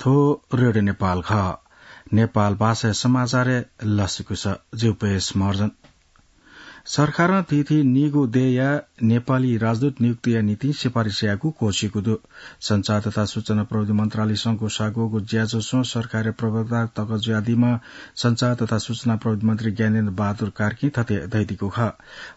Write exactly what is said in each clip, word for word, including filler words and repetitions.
थ्व रेडियो नेपाल खः। नेपाल भाषाया समाचारय् लसकुस। जिगु पेश महर्जन। सरकारं थीथी नीगू देय्‌या नेपाली राजदूत नियुक्तिया निंतिं सिफारिस यायेगु क्वःछिकू दु। सञ्चार तथा सूचना प्रविधि मन्त्रालयसं ग्वसाः ग्वःगु ज्याझ्वलय् सरकारया प्रवक्ता तक जुयादीम्ह सञ्चार तथा सूचना प्रविधि मन्त्री ज्ञानेन्द्र बहादुर कार्कीं थथे धयादीगु खः।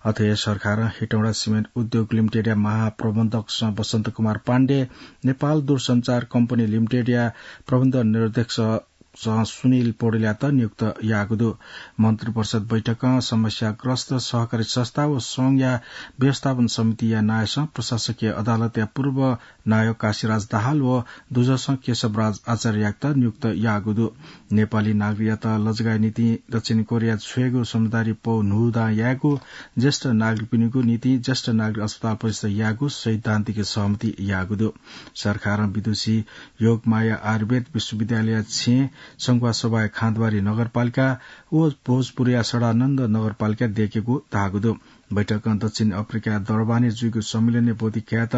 अथे हे सरकारं हेटौँडा सिमेन्ट उद्योग लिमिटेडया महाप्रबन्धकसं बसन्त कुमार पाण्डे, नेपाल दूरसञ्चार कम्पनी लिमिटेडया प्रबन्ध निर्देशक सं सुनिल पौडेलयात नियुक्त याःगु दु। मन्त्रिपरिषद बैठकं समस्याग्रस्त सहकारी संस्था व संघया व्यवस्थापन समितिया नायःसं प्रशासकीय अदालतया पूर्व नायः काशीराज दाहाल व दुजःसं केशवराज आचार्ययात नियुक्त याःगु दु। नेपाली नागरिकयात लजगाःया निंतिं दक्षिण कोरिया छ्वयेगु समझदारी पौ न्हूदँ यायेगु, ज्येष्ठ नागरिकपिनिगु निंतिं ज्येष्ठ नागरिक अस्पताल प्रतिष्ठा यायेगु सैद्धान्तिक सहमति याःगु दु। सरकारं विदुषी योगमाया आयुर्वेद विश्वविद्यालय छेँ संखुवासभाया खाँद्वारी नगरपालिका व भोजपुरया सडानन्द नगरपालिका दयेकेगु धाःगु दु। बैठकं दक्षिण अफ्रिकाया डर्बानय् जुइगु सम्मेलनय् ब्वति कयात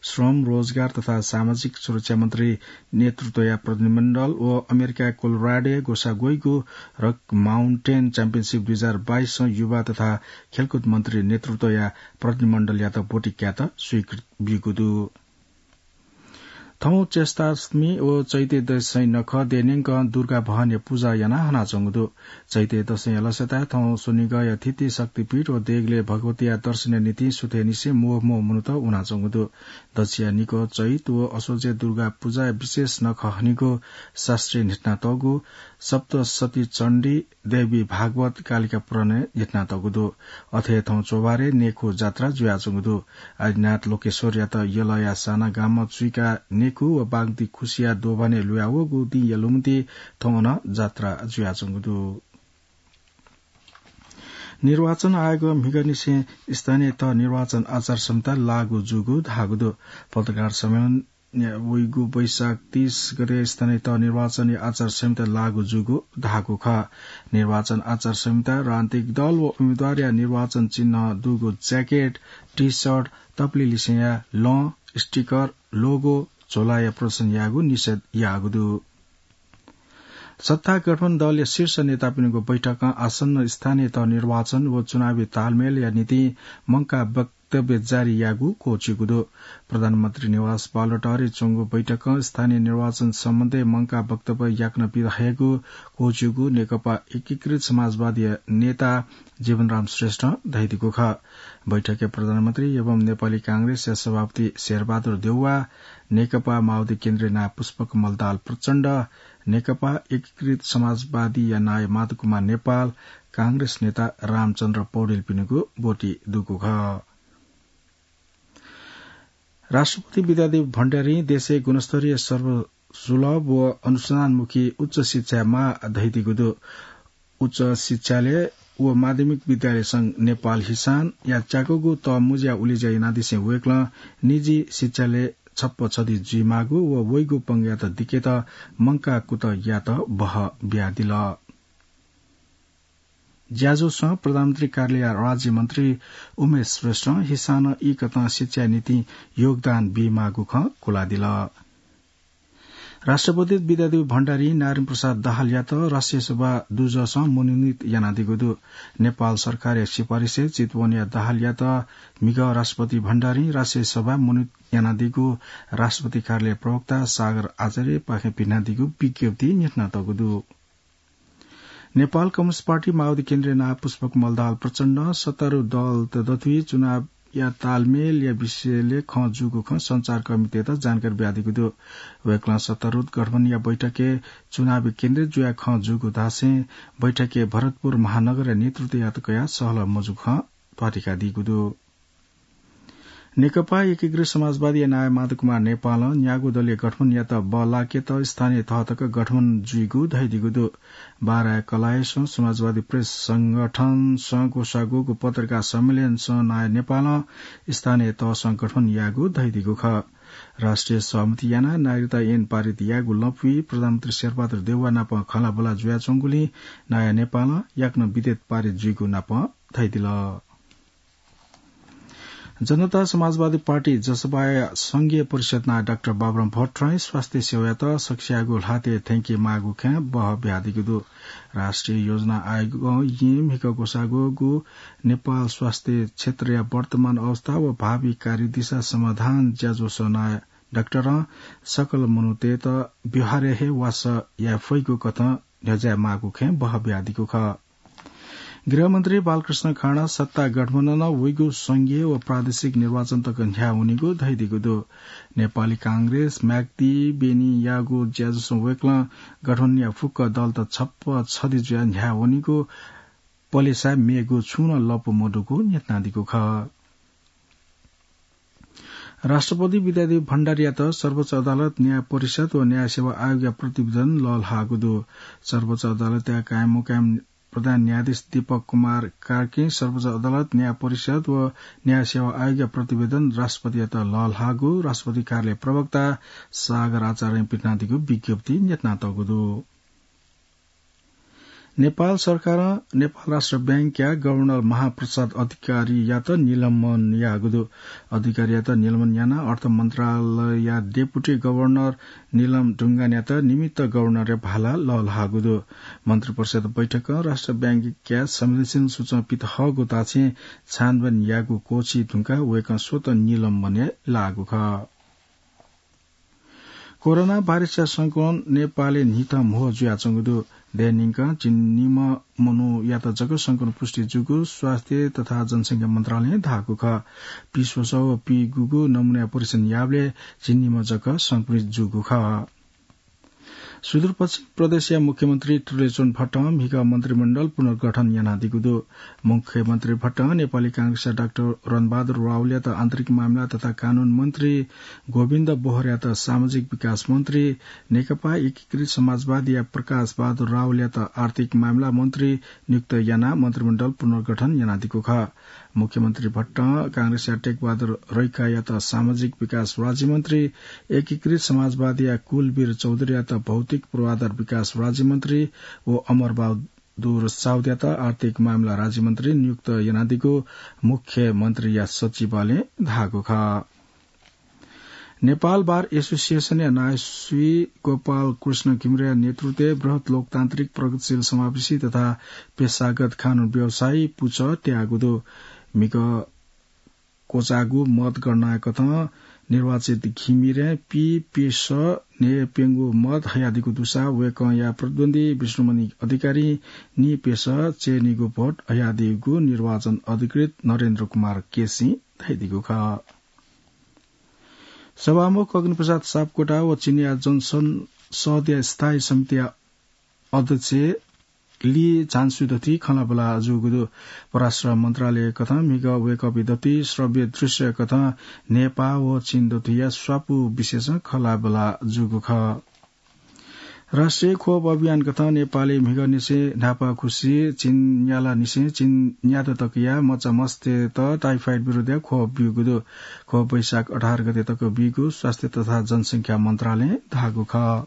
श्रम, रोजगार तथा सामाजिक सुरक्षा मन्त्री नेतृत्वया प्रतिनिधिमण्डल व अमेरिकाया कोलोराडोय् ग्वसाः ग्वइगु रक माउन्टेन च्याम्पियनसिप दुई हजार बाइसं युवा तथा खेलकुद मन्त्री नेतृत्वया प्रतिनिधिमण्डलयात ब्वति कयात स्वीकृति ब्यूगु दु। थौं चैताष्टमी व चैते दशैं नखः देय्‌न्यंकं दुर्गा भवानीया पुजा यानाः हनाच्वंगु दु। चैते दशैंया लसताय् थौं स्वनिगःया थीथी शक्तिपीठ व देगलय् भगवतीया दर्शनया निंतिं सुथय्‌निसें म्वःम्वः मनूत वनाच्वंगु दु। दच्छिया निखः चैत व असोजय् दुर्गा पुजाया विशेष नखः हनेगु शास्त्रय् न्ह्यथनातःगु सप्तशती चण्डी, देवी भागवत, कालिका पुराणय् न्ह्यथनातःगु दु। अथे हे थौं चोभारय् नेखु जात्रा जुयाच्वंगु दु। आदिनाथ लोकेश्वरयात यलया सानागामं चुइकाः नेखु व बागमती खुसिया दोभानय् ल्हुयावःगु दिंया लुमन्ति थौं अन जात्रा जुयाच्वंगु दु। निर्वाचन आयोगं म्हिगःनिसें स्थानीय तह निर्वाचन आचार संहिता लागू जूगु धाःगु दु। पत्रकार सम्मेलन वइगु वैशाख तीस गते स्थानीय तह निर्वाचनया आचार संहिता लागू जूगु धाःगु खः। निर्वाचन आचार संहिता राजनीतिक दल व उम्मेदवारया निर्वाचन चिन्ह दुगु ज्याकेट, टी-शर्ट, तप्लिलिसेंया लं, स्टिकर, लोगो, झोलाया प्रदर्शन यायेगु निषेध याःगु दु। सत्ता गठबन्धन दलया शीर्ष नेतापिनिगु बैठकं आसन्न स्थानीय तह निर्वाचन व चुनावी तालमेलया निंतिं मंकाः वक्तव्य जारी याःगु क्वःछिकू दु। प्रधानमन्त्री निवास बालुवाटारय् च्वंगु बैठकं स्थानीय निर्वाचन सम्बन्धी मंकाः वक्तव्य याकनं बिदा हयेगु क्वःछिकूगु नेकपा एकीकृत समाजवादीया नेता जीवनराम श्रेष्ठं धयादीगु खः। बैठकय् प्रधानमन्त्री एवं नेपाली कांग्रेसया सभापति शेरबहादुर देउवा, नेकपा माओवादी केन्द्रीय नायः पुष्पकमल दाहाल प्रचण्ड, नेकपा एकीकृत समाजवादीया नायः माधव कुमार नेपाल, कांग्रेस नेता रामचन्द्र पौडेलपिनिगु ब्वति दुगु खः। राष्ट्रपति विद्यादेवी भण्डारीं देशय् गुणस्तरीय, सर्वसुलभ व अनुसन्धानमुखी उच्च शिक्षाया माः धयादीगु दु। उच्च शिक्षालय व माध्यमिक विद्यालय संघ नेपाल हिसानया च्याकूगु तः मुँज्या उलेज्या यानादिसें वय्‌कलं निजी शिक्षालय छप्पँ छधी जुइमाःगु व वइगु पंगःयात दिकेत मंकाः कुतः यायेत बहः बियादिल। ज्याझ्वलय् प्रधानमन्त्री कार्यालय राज्यमन्त्री उमेश श्रेष्ठं हिसानं ईकथं शिक्षाया निंतिं योगदान बीमाःगु खँ क्वलादिल। राष्ट्रपति विद्यादेवी भण्डारीं नारायण प्रसाद दाहालयात राष्ट्रिय सभा दुजःसं मनोनित यानादीगु दु। नेपाल सरकारया सिफारिसय् चितवनया दाहालयात म्हिगः राष्ट्रपति भण्डारीं राष्ट्रिय सभा मनोनित यानादीगु राष्ट्रपति कार्यालय प्रवक्ता सागर आचार्यपाखें पिथनादीगु विज्ञप्तिइ न्ह्यथनातःगु दु। नेपाल कम्युनिस्ट पार्टी माओवादी केन्द्रीय नायः पुष्पकमल दाहाल प्रचण्डं सत्तारूढ दलत दथुइ चुनावया तालमेलया विषयलय् खँ जूगु खँ सञ्चारकर्मीतय्‌त जानकारी बियादीगु दु। वय्‌कलं सत्तारूढ गठबन्धनया बैठकय् चुनावी केन्द्रित जुयाः खँ जूगु धासें बैठकय् भरतपुर महानगरया नेतृत्वयात कयाः सहलह मजूगु खँ ध्वाथुइकादीगु दु। नेकपा एकीकृत समाजवादीया नायः माधव कुमार नेपालं न्यागू दलीय गठबन्धनयात बः लाकेत स्थानीय तह तक गठबन्धन जुइगु धयादीगु दु। बाराया कलाःयासं समाजवादी प्रेस संगठनसं ग्वसाः ग्वःगु पत्रकार सम्मेलनय् नायः नेपालं स्थानीय तहसं गठबन्धन यायेगु धयादीगु खः। राष्ट्रिय सहमति यानाः नागरिकता ऐन पारित यायेगु लँपुइ प्रधानमन्त्री शेरबहादुर देउवा नाप खँल्हाबल्हा जुयाच्वंगुलिं नायः नेपालं याकनं विधेयक पारित जुइगु नाप धयादिल। जनता समाजवादी पार्टी जसपाया संघीय परिषद नायः डाक्टर बाबुराम भट्टराईं स्वास्थ्य सेवायात सकसियागु ल्हातय् थ्यंके माःगु खँय् बहः बियादीगु दु। राष्ट्रिय योजना आयोगं येँ म्हिगः ग्वसाःगु नेपाल स्वास्थ्य क्षेत्रया वर्तमान अवस्था व भावी कार्यदिशा समाधान ज्याझ्वलय् नायः डाक्टरं सकल मनूतय्त व्यवहारय् हे वासः याये फइगु कथं न्ह्यज्याये माःगु खँय् बहः बियादीगु खः। गृहमन्त्री बालकृष्ण खाँडा सत्ता गठबन्धनं वइगु संघीय व प्रादेशिक निर्वाचन तक न्ह्याः वनीगु धयादीगु दु। नेपाली कांग्रेस, म्याग्दी, बेनीयागु ज्याझ्वलय् वय्कलं गठबन्धनया फुक्क दलत छप्पँ छधि जुयाः न्ह्याः वनीगु पलेसा मेगु छुं नं लँपु मदुगु न्ह्यथनादीगु खः। राष्ट्रपति विद्यादेवी भण्डारीयात सर्वोच्च अदालत, न्याय परिषद व न्याय सेवा आयोगया प्रतिवेदन लःल्हाःगु दु। सर्वोच्च अदालतया कायम मुकायम प्रधान न्यायाधीश दीपक कुमार कार्कीं सर्वोच्च अदालत, न्याय परिषद व न्याय सेवा आयोगया प्रतिवेदन राष्ट्रपतियात लःल्हाःगु राष्ट्रपति कार्यालय प्रवक्ता सागर आचार्यं पिथनादीगु विज्ञप्ति न्ह्यथनातःगु दु। नेपाल सरकारं नेपाल राष्ट्र बैंकया गभर्नर महाप्रसाद अधिकारीयात निलम्बन याःगु दु। अधिकारीयात निलम्बन यानाः अर्थ मन्त्रालयया डेपुटी गभर्नर नीलम ढुङ्गानयात निमित्त गभर्नरया भाला लःल्हाःगु दु। मन्त्रिपरिषद बैठकं राष्ट्र बैंकया संवेदनशील सूचं पित हःगु धासें छानबिन यायेगु क्वःछी धुंकाः वय्कः स्वतः निलम्बनय् लाःगु खः। कोरोना भाइरसया संक्रमण नेपालय् न्हिथं म्हो जुयाच्वंगु दु। देय् न्यंकं झिंनिम्ह मनूयात जक संक्रमण पुष्टि जूगु स्वास्थ्य तथा जनसंख्या मन्त्रालयं धाःगु खः। पीस्वसः व पीगूगु नमूनाया परीक्षण याःबलय् झिंनिम्ह जक संक्रमित जूगु खः। सुदूरपश्चिम प्रदेशया मुख्यमन्त्री त्रिलोचन भट्टं म्हिगः मन्त्रीमण्डल पुनर्गठन यानादीगु दु। मुख्यमन्त्री भट्टं नेपाली कांग्रेसया डाक्टर रणबहादुर रावलयात आन्तरिक मामिला तथा कानून मन्त्री, गोविन्द बोहरायात सामाजिक विकास मन्त्री, नेकपा एकीकृत समाजवादीया प्रकाश बहादुर रावलयात आर्थिक मामिला मन्त्री नियुक्त यानाः मन्त्रीमण्डल पुनर्गठन यानादीगु खः। मुख्यमन्त्री भट्टं कांग्रेसया टेकबहादुर रैकायात सामाजिक विकास राज्यमन्त्री, एकीकृत समाजवादीया कुलवीर चौधरीयात भौतिक पूर्वाधार विकास राज्यमन्त्री व अमरबहादुर साउदयात आर्थिक मामिला राज्यमन्त्री नियुक्त यानादीगु मुख्यमन्त्रीया सचिवालयं धाःगु खः। नेपाल बार एसोसिएसनया नायः श्री गोपाल कृष्ण घिमिरेया नेतृत्वय् बृहत् लोकतान्त्रिक प्रगतिशील समावेशी तथा पेशागत कानून व्यवसायी पुचः त्याःगु दु। म्हिगः क्वचाःगु मतगणनाकथं निर्वाचित घिमिरें पीप्यसः न्हय्प्यंगू मत हयादीगु दुसा वय्कःया प्रतिद्वन्द्वी विष्णुमणि अधिकारीं नीप्यसः च्यय्निगू भोट हयादीगु निर्वाचन अधिकृत नरेन्द्र कुमार केसीं धयादीगु खः। सभामुख अग्निप्रसाद सापकोटा व चीनया जनसंसदया स्थायी समितिया अध्यक्ष ली झान्सुइ दथुइ खँल्हाबल्हा जूगु दु। परराष्ट्र मन्त्रालयकथं म्हिगः वय्कःपिं दथुइ श्रव्य दृश्यकथं नेपाः व चीन दथुइया स्वापू विषयसं खँल्हाबल्हा जूगु खः। राष्ट्रिय खोप अभियानकथं नेपालय् म्हिगःनिसें न्हापांखुसी चीन न्यालानिसें चीन न्यादँ तकया मचामस्तय्त टाइफाइड विरुद्धया खोप ब्यूगु दु। खोप वैशाख अठार गते तक बीगु स्वास्थ्य तथा जनसंख्या मन्त्रालयं धाःगु खः।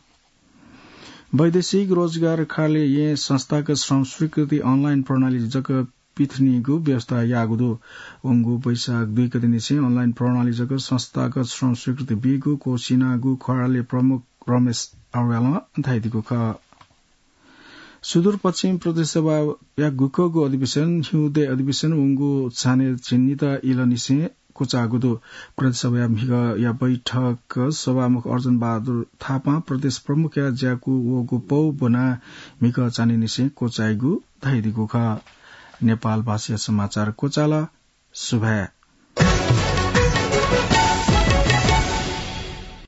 वैदेशिक रोजगार कार्यालयं संस्थागत श्रम स्वीकृति अनलाइन प्रणाली जक पिथनीगु व्यवस्था याःगु दु। वंगु वैशाख दुई गतेनिसें अनलाइन प्रणाली जक संस्थागत श्रम स्वीकृति बीगु क्वःछिनागु कार्यालय प्रमुख रमेश अर्यालं धयादीगु खः। सुदूरपश्चिम प्रदेश सभाया गुकःगु अधिवेशन, हिउँदे अधिवेशन वंगु चान्हय् झिंनिदँ इलंनिसें क्वचाःगु दु। प्रदेश सभाया म्हिगःया बैठक सभामुख अर्जुन बहादुर थापां प्रदेश प्रमुखया ज्याकू वःगु पौ ब्वनाः म्हिगः चान्हय्‌निसें क्वचाइगु धयादीगु खः। नेपाल भाषाया समाचार क्वचाल। सुभाय्।